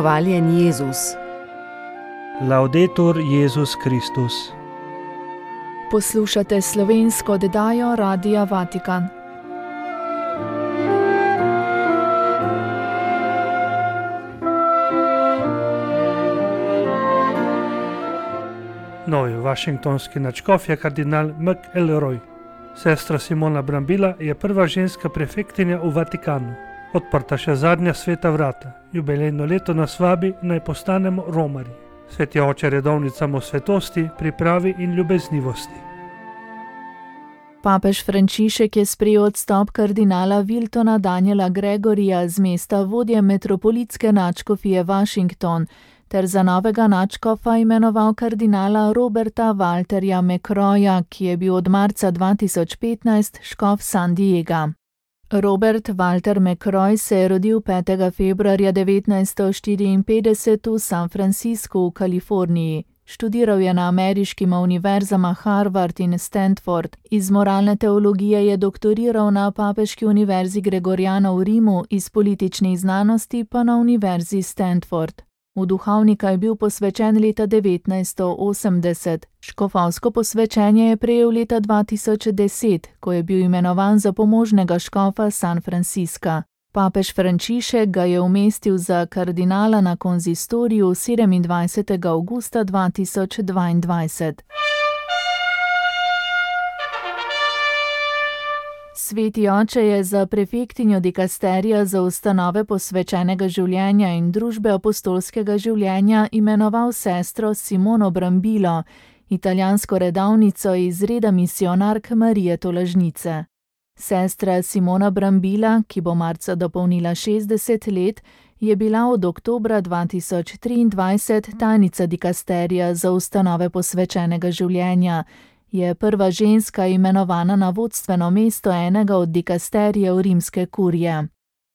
Hvaljen Jezus. Laudetur Jezus Kristus. Poslušate slovensko oddajo Radia Vatikan. Novi washingtonski nadškof je kardinal McElroy. Sestra Simona Brambila je prva ženska prefektinja v Vatikanu. Odprta še zadnja sveta vrata. Jubilejno leto nas vabi, naj postanemo romarji. Sveti oče redovnicam o svetosti, pripravi in ljubeznivosti. Papež Frančišek je sprejel odstop kardinala Wiltona Daniela Gregorija z mesta vodje metropolitske nadškofije Washington ter za novega nadškofa imenoval kardinala Roberta Walterja McCroya, ki je bil od marca 2015 škof San Diega. Robert Walter McCroy se je rodil 5. februarja 1954 v San Franciscu v Kaliforniji. Študiral je na ameriškima univerzama Harvard in Stanford. Iz moralne teologije je doktoriral na Papeški univerzi Gregoriana v Rimu, iz političnih znanosti pa na univerzi Stanford. V duhovnika je bil posvečen leta 1980. Škofovsko posvečenje je prejel leta 2010, ko je bil imenovan za pomožnega škofa San Francisca. Papež Frančišek ga je umestil za kardinala na konzistoriju 27. avgusta 2022. Sveti oče je za prefektinjo dikasterija za ustanove posvečenega življenja in družbe apostolskega življenja imenoval sestro Simono Brambilo, italijansko redovnico iz reda misionark Marije Tolažnice. Sestra Simona Brambila, ki bo marca dopolnila 60 let, je bila od oktobra 2023 tajnica dikasterija za ustanove posvečenega življenja. Je prva ženska imenovana na vodstveno mesto enega od dikasterijev rimske kurije.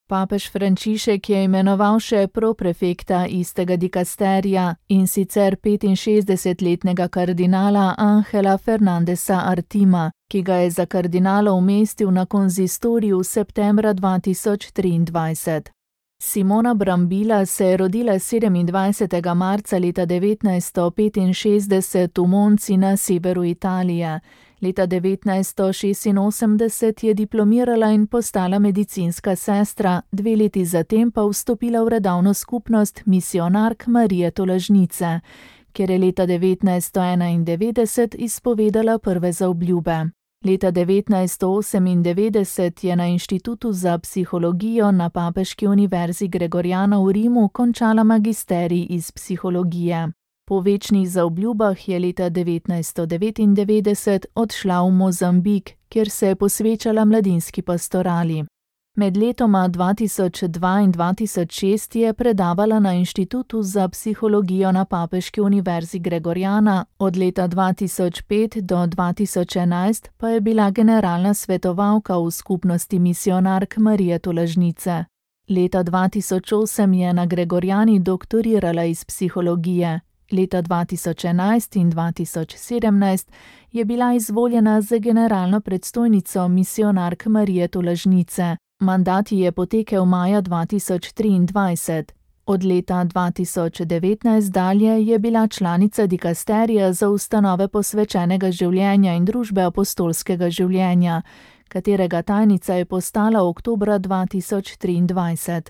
Papež Frančišek je imenoval še proprefekta istega dikasterija, in sicer 65-letnega kardinala Angela Fernandesa Artima, ki ga je za kardinala umestil na konzistoriju septembra 2023. Simona Brambila se je rodila 27. marca leta 1965 v Monci na severu Italije. Leta 1986 je diplomirala in postala medicinska sestra, 2 leti zatem pa vstopila v redovno skupnost misionark Marije Tolažnice, kjer je leta 1991 izpovedala prve zaobljube. Leta 1998 je na Inštitutu za psihologijo na Papeški univerzi Gregoriana v Rimu končala magisterij iz psihologije. Po večnih zaobljubah je leta 1999 odšla v Mozambik, kjer se je posvečala mladinski pastorali. Med letoma 2002 in 2006 je predavala na Inštitutu za psihologijo na Papeški univerzi Gregoriana, od leta 2005 do 2011 pa je bila generalna svetovalka v skupnosti misionark Marije Tolažnice. Leta 2008 je na Gregoriani doktorirala iz psihologije. Leta 2011 in 2017 je bila izvoljena za generalno predstojnico misionark Marije Tolažnice. Mandat ji je potekel maja 2023. Od leta 2019 dalje je bila članica dikasterija za ustanove posvečenega življenja in družbe apostolskega življenja, katerega tajnica je postala oktobra 2023.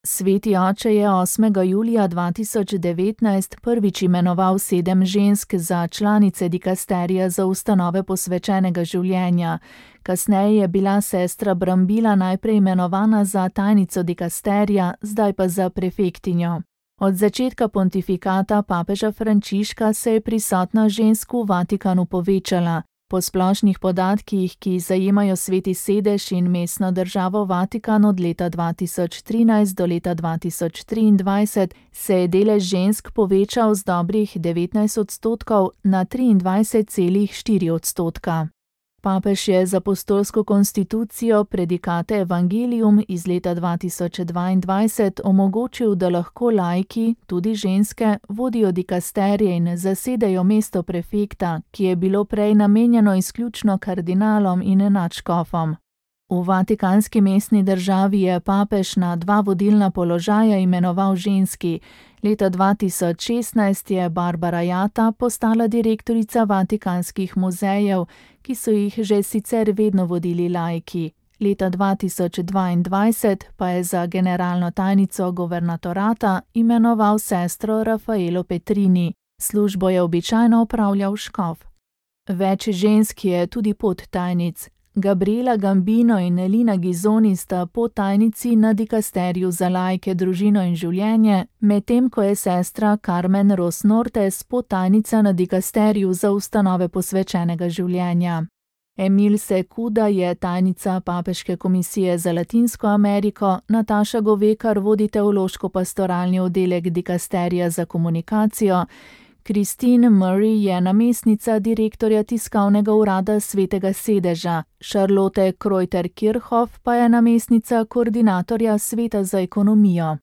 Sveti oče je 8. julija 2019 prvič imenoval 7 žensk za članice dikasterija za ustanove posvečenega življenja. Kasneje je bila sestra Brambila najprej imenovana za tajnico dikasterija, zdaj pa za prefektinjo. Od začetka pontifikata papeža Frančiška se je prisotnost žensk v Vatikanu povečala. Po splošnih podatkih, ki zajemajo Sveti sedež in mestno državo Vatikan od leta 2013 do leta 2023, se je delež žensk povečal z dobrih 19% na 23,4%. Papež je z apostolsko konstitucijo Predikate Evangelium iz leta 2022 omogočil, da lahko laiki, tudi ženske, vodijo dikasterije in zasedejo mesto prefekta, ki je bilo prej namenjeno izključno kardinalom in nadškofom. V vatikanski mestni državi je papež na 2 vodilna položaja imenoval ženski. Leta 2016 je Barbara Jatta postala direktorica vatikanskih muzejev, ki so jih že sicer vedno vodili laiki. Leta 2022 pa je za generalno tajnico guvernatorata imenoval sestro Raffaello Petrini. Službo je običajno opravljal škof. Več žensk je tudi podtajnic. Gabriela Gambino in Elina Gizoni sta podtajnici na dikasteriju za laike, družino in življenje, medtem ko je sestra Carmen Ros Nortes podtajnica na dikasteriju za ustanove posvečenega življenja. Emil Sekuda je tajnica Papeške komisije za Latinsko Ameriko, Nataša Govekar vodi teološko-pastoralni oddelek dikasterija za komunikacijo, Christine Murray je namestnica direktorja tiskovnega urada Svetega sedeža, Charlotte Kreuter-Kirchhoff pa je namestnica koordinatorja Sveta za ekonomijo.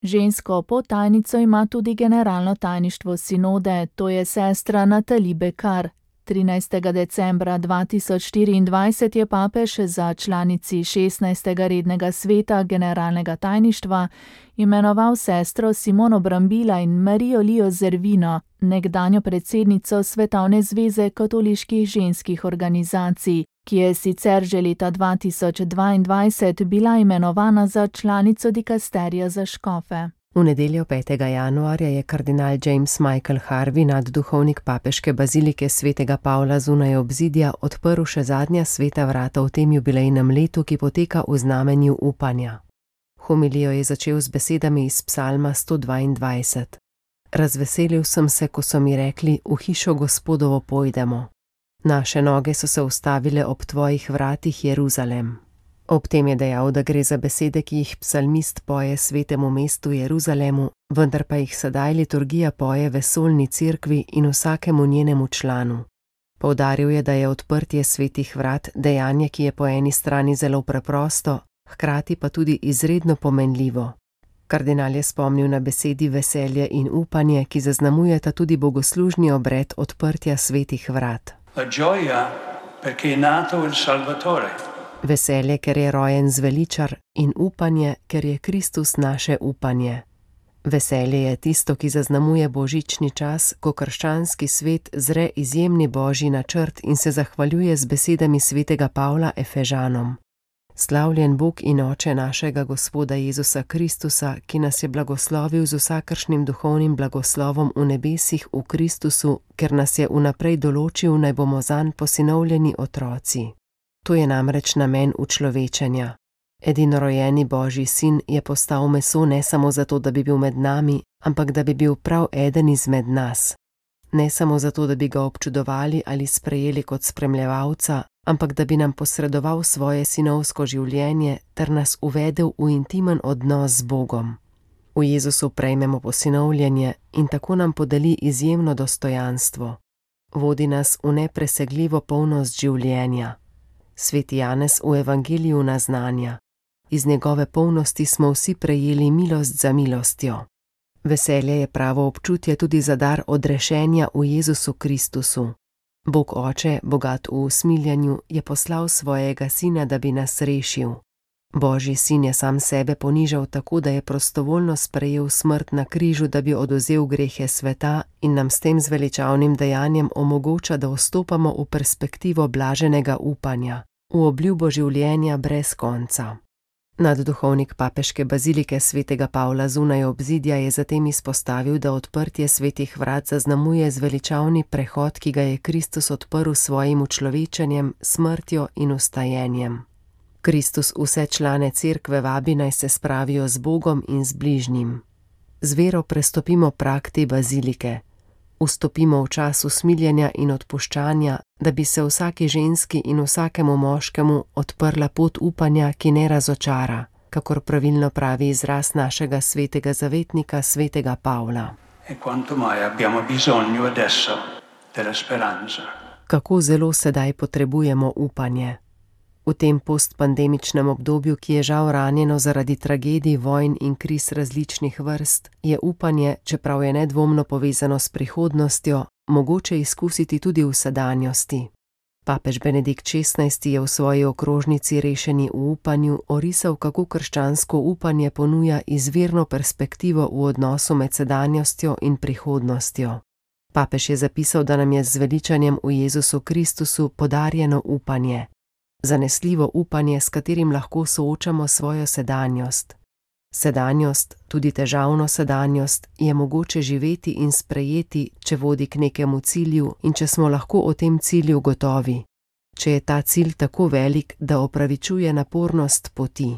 Žensko podtajnico ima tudi generalno tajništvo sinode, to je sestra Nathalie Bekar. 13. decembra 2024 je papež za članici 16. rednega sveta generalnega tajništva imenoval sestro Simono Brambila in Marijo Lio Zervino, nekdanjo predsednico Svetovne zveze katoliških ženskih organizacij, ki je sicer že leta 2022 bila imenovana za članico dikasterija za škofe. V nedeljo 5. januarja je kardinal James Michael Harvey, nadduhovnik papeške bazilike svetega Pavla zunaj obzidja, odprl še zadnja sveta vrata v tem jubilejnem letu, ki poteka v znamenju upanja. Homilijo je začel z besedami iz psalma 122. Razveselil sem se, ko so mi rekli, v hišo Gospodovo pojdemo. Naše noge so se ustavile ob tvojih vratih, Jeruzalem. Ob tem je dejal, da gre za besede, ki jih psalmist poje svetemu mestu Jeruzalemu, vendar pa jih sedaj liturgija poje vesoljni cerkvi in vsakemu njenemu članu. Poudaril je, da je odprtje svetih vrat dejanje, ki je po eni strani zelo preprosto, hkrati pa tudi izredno pomenljivo. Kardinal je spomnil na besedi veselje in upanje, ki zaznamujeta tudi bogoslužni obred odprtja svetih vrat. La gioia perché è nato il Salvatore. Veselje, ker je rojen zveličar, in upanje, ker je Kristus naše upanje. Veselje je tisto, ki zaznamuje božični čas, ko krščanski svet zre izjemni božji načrt in se zahvaljuje z besedami svetega Pavla Efežanom. Slavljen Bog in Oče našega Gospoda Jezusa Kristusa, ki nas je blagoslovil z vsakršnim duhovnim blagoslovom v nebesih v Kristusu, ker nas je vnaprej določil, naj bomo zanj posinovljeni otroci. To je namreč namen učlovečenja. Edinorojeni Božji sin je postal meso ne samo zato, da bi bil med nami, ampak da bi bil prav eden izmed nas. Ne samo zato, da bi ga občudovali ali sprejeli kot spremljevalca, ampak da bi nam posredoval svoje sinovsko življenje ter nas uvedel v intimen odnos z Bogom. V Jezusu prejmemo posinovljenje in tako nam podeli izjemno dostojanstvo. Vodi nas v nepresegljivo polnost življenja. Sveti Janez v evangeliju naznanja: iz njegove polnosti smo vsi prejeli milost za milostjo. Veselje je pravo občutje tudi za dar odrešenja v Jezusu Kristusu. Bog Oče, bogat v usmiljanju, je poslal svojega sina, da bi nas rešil. Božji sin je sam sebe ponižal tako, da je prostovoljno sprejel smrt na križu, da bi odvzel grehe sveta in nam s tem zveličavnim dejanjem omogoča, da vstopamo v perspektivo blaženega upanja, v obljubo življenja brez konca. Nadduhovnik papeške bazilike svetega Pavla zunaj obzidja je zatem izpostavil, da odprtje svetih vrat zaznamuje zveličavni prehod, ki ga je Kristus odprl s svojim učlovečenjem, smrtjo in vstajenjem. Kristus vse člane cerkve vabi, naj se spravijo z Bogom in z bližnjim. Z vero prestopimo prag te bazilike. Vstopimo v čas usmiljenja in odpuščanja, da bi se vsaki ženski in vsakemu moškemu odprla pot upanja, ki ne razočara, kakor pravilno pravi izraz našega svetega zavetnika, svetega Pavla. E quanto mai abbiamo bisogno adesso della speranza. Kako zelo sedaj potrebujemo upanje. V tem postpandemičnem obdobju, ki je žal ranjeno zaradi tragedij, vojn in kriz različnih vrst, je upanje, čeprav je nedvomno povezano s prihodnostjo, mogoče izkusiti tudi v sedanjosti. Papež Benedikt XVI je v svoji okrožnici Rešeni v upanju orisal, kako krščansko upanje ponuja izvirno perspektivo v odnosu med sedanjostjo in prihodnostjo. Papež je zapisal, da nam je z veličanjem v Jezusu Kristusu podarjeno upanje. Zanesljivo upanje, s katerim lahko soočamo svojo sedanjost. Sedanjost, tudi težavno sedanjost, je mogoče živeti in sprejeti, če vodi k nekemu cilju in če smo lahko o tem cilju gotovi. Če je ta cilj tako velik, da opravičuje napornost poti.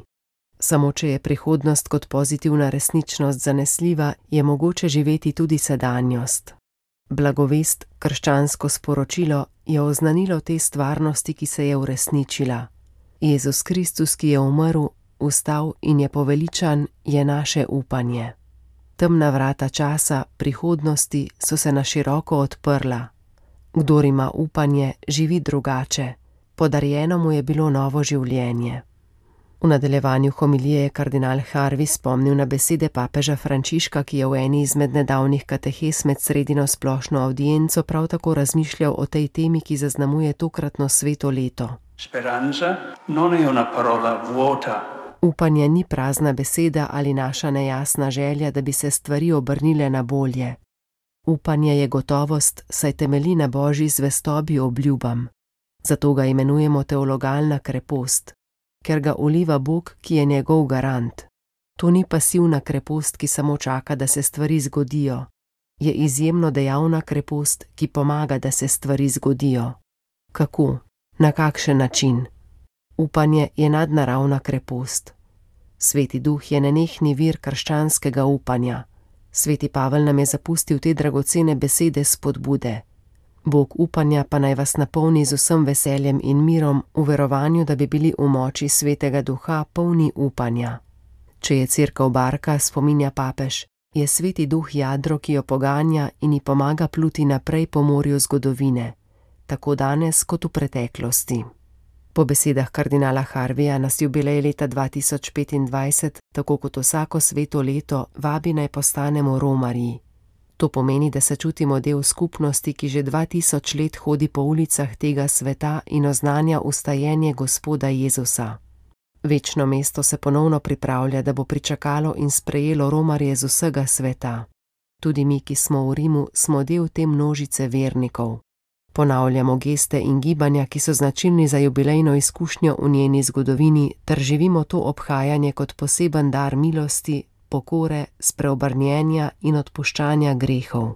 Samo če je prihodnost kot pozitivna resničnost zanesljiva, je mogoče živeti tudi sedanjost. Blagovest, krščansko sporočilo, je oznanilo te stvarnosti, ki se je uresničila. Jezus Kristus, ki je umrl, vstal in je poveličan, je naše upanje. Temna vrata časa, prihodnosti so se na široko odprla. Kdor ima upanje, živi drugače. Podarjeno mu je bilo novo življenje. V nadaljevanju homilije je kardinal Harvey spomnil na besede papeža Frančiška, ki je v eni izmed nedavnih katehes med sredino splošno avdienco prav tako razmišljal o tej temi, ki zaznamuje tokratno sveto leto. Speranza non è una parola vuota. Upanje ni prazna beseda ali naša nejasna želja, da bi se stvari obrnile na bolje. Upanje je gotovost, saj temelji na Božji zvestobi obljubam. Zato ga imenujemo teologalna krepost, ker ga uliva Bog, ki je njegov garant. To ni pasivna krepost, ki samo čaka, da se stvari zgodijo. Je izjemno dejavna krepost, ki pomaga, da se stvari zgodijo. Kako? Na kakšen način? Upanje je nadnaravna krepost. Sveti Duh je nenehni vir krščanskega upanja. Sveti Pavel nam je zapustil te dragocene besede spodbude. Bog upanja pa naj vas napolni z vsem veseljem in mirom v verovanju, da bi bili v moči Svetega Duha polni upanja. Če je cerkev barka, spominja papež, je Sveti Duh jadro, ki jo poganja in ji pomaga pluti naprej po morju zgodovine, tako danes kot v preteklosti. Po besedah kardinala Harveja nas jubilej leta 2025, tako kot vsako sveto leto, vabi naj postanemo romarji. To pomeni, da se čutimo del skupnosti, ki že 2000 let hodi po ulicah tega sveta in oznanja ustajenje Gospoda Jezusa. Večno mesto se ponovno pripravlja, da bo pričakalo in sprejelo romarje z vsega sveta. Tudi mi, ki smo v Rimu, smo del te množice vernikov. Ponavljamo geste in gibanja, ki so značilni za jubilejno izkušnjo v njeni zgodovini, ter živimo to obhajanje kot poseben dar milosti, pokore, spreobrnjenja in odpuščanja grehov.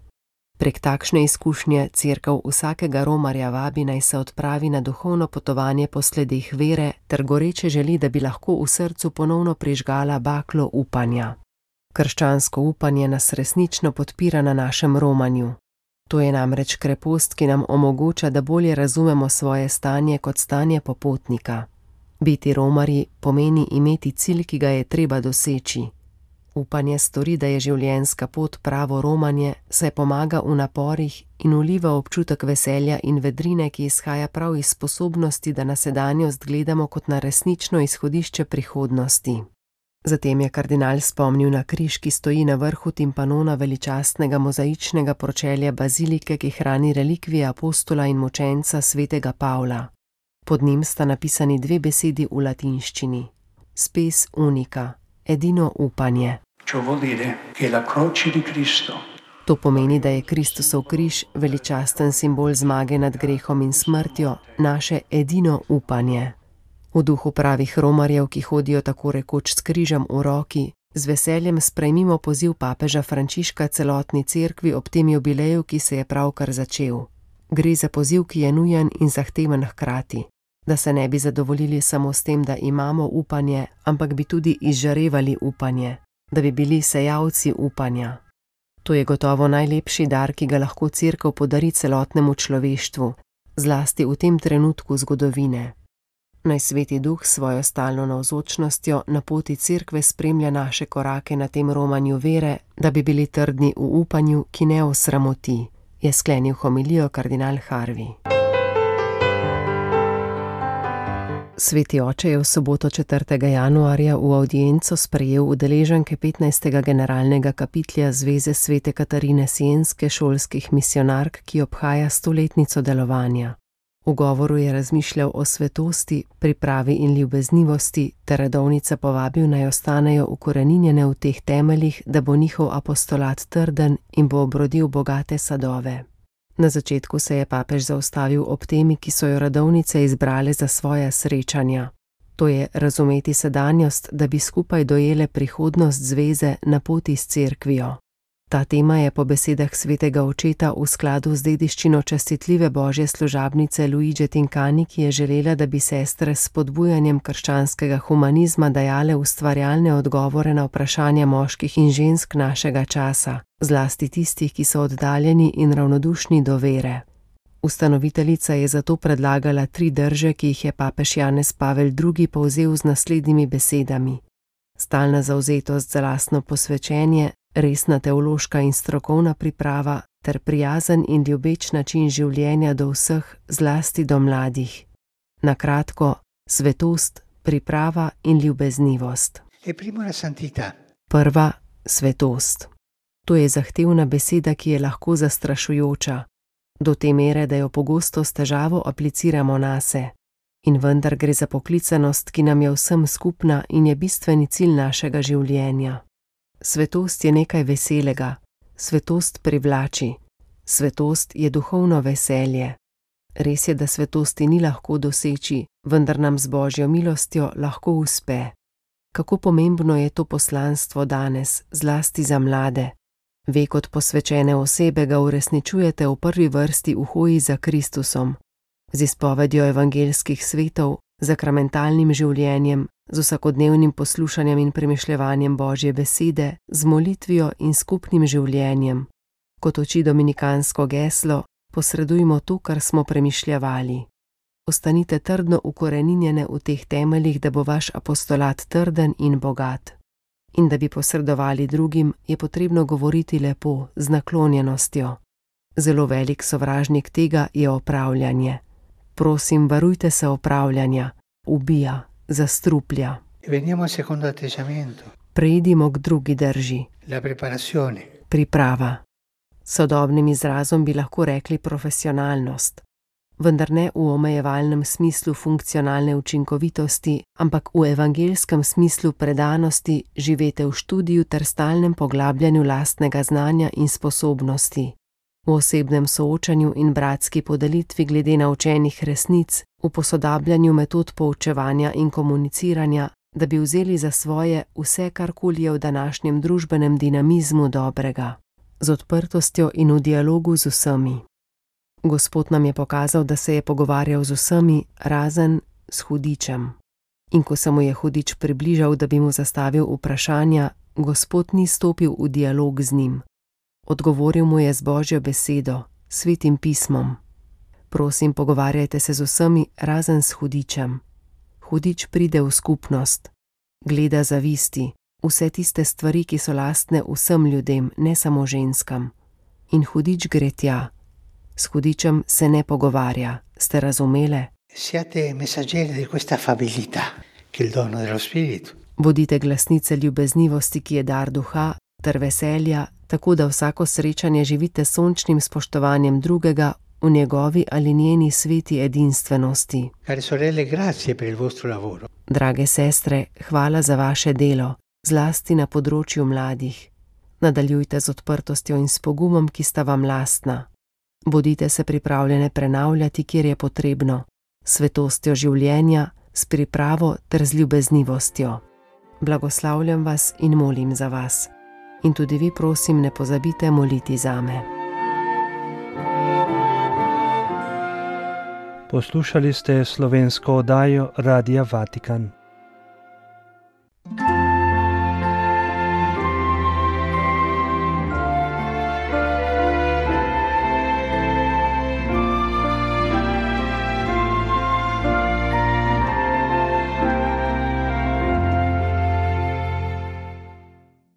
Prek takšne izkušnje cerkev vsakega romarja vabi naj se odpravi na duhovno potovanje po sledeh vere, ter goreče želi, da bi lahko v srcu ponovno prižgala baklo upanja. Krščansko upanje nas resnično podpira na našem romanju. To je namreč krepost, ki nam omogoča, da bolje razumemo svoje stanje kot stanje popotnika. Biti romarji pomeni imeti cilj, ki ga je treba doseči. Upanje stori, da je življenjska pot pravo romanje, saj pomaga v naporih in vliva občutek veselja in vedrine, ki izhaja prav iz sposobnosti, da na sedanjost gledamo kot na resnično izhodišče prihodnosti. Zatem je kardinal spomnil na križ, ki stoji na vrhu timpanona veličastnega mozaičnega pročelja bazilike, ki hrani relikvije apostola in mučenca svetega Pavla. Pod njim sta napisani dve besedi v latinščini. Spes unica, edino upanje. To pomeni, da je Kristusov križ, veličasten simbol zmage nad grehom in smrtjo, naše edino upanje. V duhu pravih romarjev, ki hodijo tako rekoč s križem v roki, z veseljem sprejmimo poziv papeža Frančiška celotni cerkvi ob tem jubileju, ki se je pravkar začel. Gre za poziv, ki je nujen in zahteven hkrati, da se ne bi zadovoljili samo s tem, da imamo upanje, ampak bi tudi izžarevali upanje, da bi bili sejalci upanja. To je gotovo najlepši dar, ki ga lahko cerkev podari celotnemu človeštvu, zlasti v tem trenutku zgodovine. Naj Sveti Duh svojo stalno navzočnostjo na poti cerkve spremlja naše korake na tem romanju vere, da bi bili trdni v upanju, ki ne osramoti, je sklenil homilijo kardinal Harvey. Sveti oče je v soboto 4. januarja v avdienco sprejel udeleženke 15. generalnega kapitlja Zveze Svete Katarine Sienske šolskih misionark, ki obhaja 100-letnico delovanja. V govoru je razmišljal o svetosti, pripravi in ljubeznivosti ter redovnice povabil, naj ostanejo ukoreninjene v teh temeljih, da bo njihov apostolat trden in bo obrodil bogate sadove. Na začetku se je papež zaustavil ob temi, ki so jo redovnice izbrale za svoja srečanja. To je razumeti sedanjost, da bi skupaj dojele prihodnost zveze na poti s cerkvijo. Ta tema je po besedah svetega očeta v skladu z dediščino častitljive božje služabnice Luige Tincani, ki je želela, da bi sestre s spodbujanjem krščanskega humanizma dajale ustvarjalne odgovore na vprašanja moških in žensk našega časa, zlasti tistih, ki so oddaljeni in ravnodušni do vere. Ustanoviteljica je zato predlagala 3 drže, ki jih je papež Janez Pavel II. Povzel z naslednjimi besedami: stalna zavzetost za lastno posvečenje, resna teološka in strokovna priprava ter prijazen in ljubeč način življenja do vseh, zlasti do mladih. Na kratko, svetost, priprava in ljubeznivost. Prva, svetost. To je zahtevna beseda, ki je lahko zastrašujoča, do te mere, da jo pogosto s težavo apliciramo nase. In vendar gre za poklicanost, ki nam je vsem skupna in je bistveni cilj našega življenja. Svetost je nekaj veselega, svetost privlači, svetost je duhovno veselje. Res je, da svetosti ni lahko doseči, vendar nam z božjo milostjo lahko uspe. Kako pomembno je to poslanstvo danes, zlasti za mlade. Ve, kot posvečene osebe ga uresničujete v prvi vrsti v hoji za Kristusom, z izpovedjo evangeljskih svetov, zakramentalnim življenjem, z vsakodnevnim poslušanjem in premišljevanjem Božje besede, z molitvijo in skupnim življenjem. Kot uči dominikansko geslo, posredujmo to, kar smo premišljevali. Ostanite trdno ukoreninjene v teh temeljih, da bo vaš apostolat trden in bogat. In da bi posredovali drugim, je potrebno govoriti lepo, z naklonjenostjo. Zelo velik sovražnik tega je opravljanje. Prosim, varujte se opravljanja, ubija, zastruplja. Preidimo k drugi drži. Priprava. Sodobnim izrazom bi lahko rekli profesionalnost, vendar ne v omejevalnem smislu funkcionalne učinkovitosti, ampak v evangeljskem smislu predanosti, živete v študiju ter stalnem poglabljanju lastnega znanja in sposobnosti, v osebnem soočanju in bratski podelitvi glede naučenih resnic, v posodabljanju metod poučevanja in komuniciranja, da bi vzeli za svoje vse, karkoli je v današnjem družbenem dinamizmu dobrega, z odprtostjo in v dialogu z vsemi. Gospod nam je pokazal, da se je pogovarjal z vsemi, razen s hudičem. In ko se mu je hudič približal, da bi mu zastavil vprašanja, Gospod ni stopil v dialog z njim. Odgovoril mu je z Božjo besedo, svetim pismom. Prosim, pogovarjajte se z vsemi, razen s hudičem. Hudič pride v skupnost, gleda zavisti, vse tiste stvari, ki so lastne vsem ljudem, ne samo ženskam. In hudič gre tja. S hudičem se ne pogovarja, ste razumele? Siate messaggeri di questa affabilità, che è il dono dello spirito. Bodite glasnice ljubeznivosti, ki je dar duha, ter veselja, tako da vsako srečanje živite s sončnim spoštovanjem drugega v njegovi ali njeni sveti edinstvenosti. Care sorelle, grazie per il vostro lavoro. Drage sestre, hvala za vaše delo, zlasti na področju mladih. Nadaljujte z odprtostjo in s pogumom, ki sta vam lastna. Bodite se pripravljene prenavljati, kjer je potrebno, s svetostjo življenja, s pripravo ter z ljubeznivostjo. Blagoslavljam vas in molim za vas. In tudi vi, prosim, ne pozabite moliti zame. Poslušali ste slovensko oddajo Radia Vatikan.